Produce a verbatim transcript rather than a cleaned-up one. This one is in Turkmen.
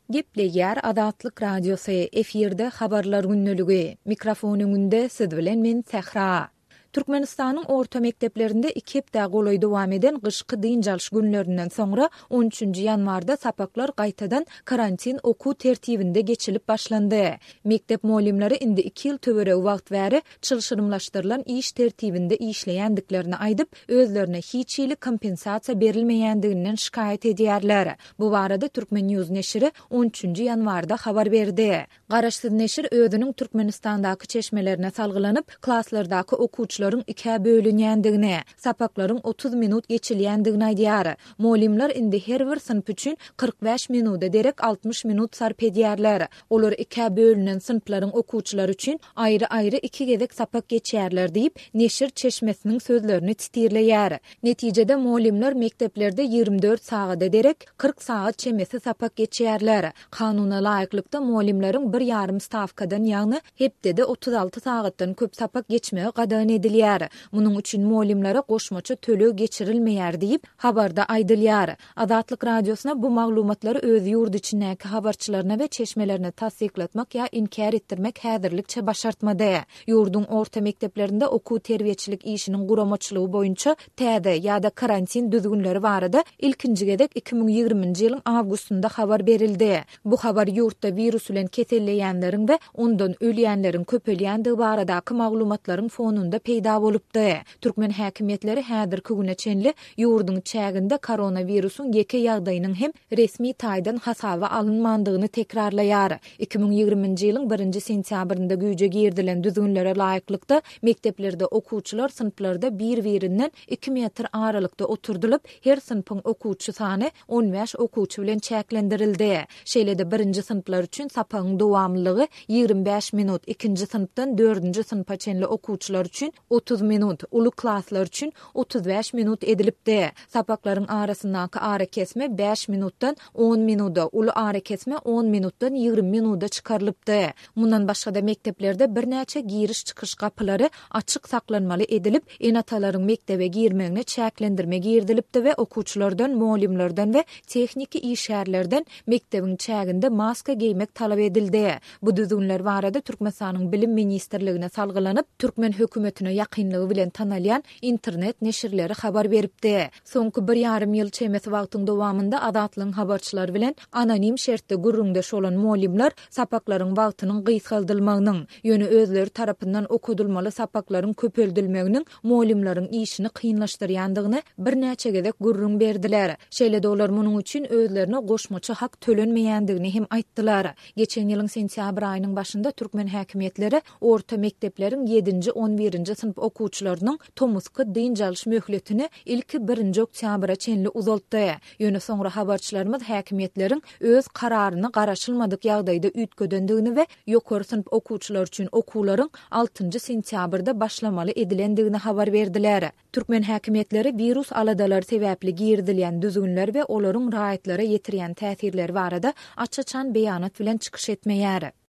Gepleýär Azatlyk Radiosy, efirde Habarlar gündeligi. Mikrofon öňünde siz bilen men Sähra. Türkmenistanyň orta mekdeplerinde iki hepdä golaý dowam eden gyşky dynç alyş günlerinden soňra on üçünji ýanwarda sapaklar gaýtadan karantin okuw tertibinde geçilip başlandy. Mekdep mugallymlary indi iki ýyl töweregi wagt bäri çylşyrymlaşdyrylan iş tertibinde işleýändiklerini aýdyp, özlerine hiç hili kompensasiýa berilmeýändiginden şikaýat edýärler. Bu barada Turkmen News neşiri on üçünji ýanwarda habar berdi. Garaşsyz neşir özüniň Türkmenistandaky çeşmelerine salgylanyp, klaslardaky okuwçylaryň ikä bölünýändigini, sapaklaryň otuz minut geçilýändigini aýdýar. Mugallymlar indi her bir synp üçin kyrk bäş minuda derek altmyş minut sarp edýärler. Olar ikä bölünen synplaryň okuwçylary üçin aýry-aýry iki gezek sapak geçýärler diýip, neşir çeşmesiniň sözlerini titirleýär. Netijede mugallymlar mekdeplerde ýigrimi dört sagada derek kyrk sagat çemesi sapak geçýärler. Kanuna laýyklykda mugallymlaryň bir ýarym stawkadan, ýagny hepdede otuz alty sagatdan köp sapak geçmegi gadagan edilýär. Munuň üçin mugallymlara goşmaça töleg geçirilmeýär diýip, habarda aýdylýar. Azatlyk Radiosyna bu maglumatlary öz ýurt içindäki habarçylaryna we çeşmelerine tassyklatmak ýa inkär etdirmek häzirlikçe başartmady. Ýurduň orta mekdeplerinde okuw-terbiýeçilik işiniň guramaçylygy boýunça täze ýa-da karantin düzgünleri barada ilkinji gezek iki müň ýigriminji ýylyň awgustynda habar berildi. Bu habar ýurtda wirus bilen keselleýänleriň we ondan ölýänleriň köpelýändigi baradaky maglumatlaryň fonunda peýda bolupdy. Türkmen häkimiýetleri häzirki güne çenli ýurduň çäginde koronawirusyň ýeke ýagdaýynyň hem resmi taýdan hasaba alynmandygyny tekrarlaýar. Iki müň ýigriminji ýylyň birinji sentýabrynda güýje girizilen düzgünlere laýyklykda mekdeplerde okuwçylar synplarda bir-birinden iki metr aralykda oturdylyp, her synpyň okuwçy sany on bäş okuwçy bilen çäklendirildi. Şeýle-de birinji synplar üçin sapagyň dowamlylygy ýigrimi bäş minut, ikinji synpdan dördünji synpa çenli okuwçylar üçin otuz minut, uly klaslar üçin otuz bäş minut edilipdi. Sapaklaryň arasyndaky arakesme bäş minutdan on minuda, uly arakesme on minutdan ýigrimi minuda çykarylypdy. Mundan başga-da mekdeplerde birnäçe giriş-çykyş gapylary açyk saklanmaly edilip, ene-atalaryň mekdebe girmegine çäklendirme girizilipdi we okuwçylardan, mugallymlardan we tehniki işgärlerden mekdebiň çäginde maska geýmek talap edildi. Bu düzgünler barada Türkmenistanyň Bilim ministrligine salgylanyp, türkmen hökümetine ýakynlygy bilen tanalýan internet neşirleri habar beripdi. Soňky bir ýarym ýyl çemesi wagtyň dowamynda Azatlygyň habarçylary bilen anonim şertde gürrüňdeş bolan mugallymlar sapaklaryň wagtynyň gysgaldylmagynyň, ýöne özleri tarapyndan okadylmaly sapaklaryň köpeldilmeginiň mugallymlaryň işini kynlaşdyrýandygyny birnäçe gezek gürrüň berdiler. Şeýle-de olar munuň üçin özlerine goşmaça hak tölenmeýändigini hem aýtdylar. Geçen ýylyň sentýabr aýynyň başynda türkmen häkimiýetleri orta mekdepleriň ýedinji, on birinji synp okuwçylarynyň tomusky dynç alyş möhletini ilki birinji oktýabra çenli uzaltdy. Ýöne soňra habarçylarymyz häkimiýetleriň öz kararyny garaşylmadyk ýagdaýda üýtgedendigini we ýokary synp okuwçylar üçin okuwlaryň altynjy sentýabrda başlamaly edilendigini habar berdiler. Türkmen häkimiýetleri wirus aladalary sebäpli girizilýän düzgünler we olaryň raýatlara ýetirýän täsirleri barada aç-açan beýanat bilen çykyş etmeýär.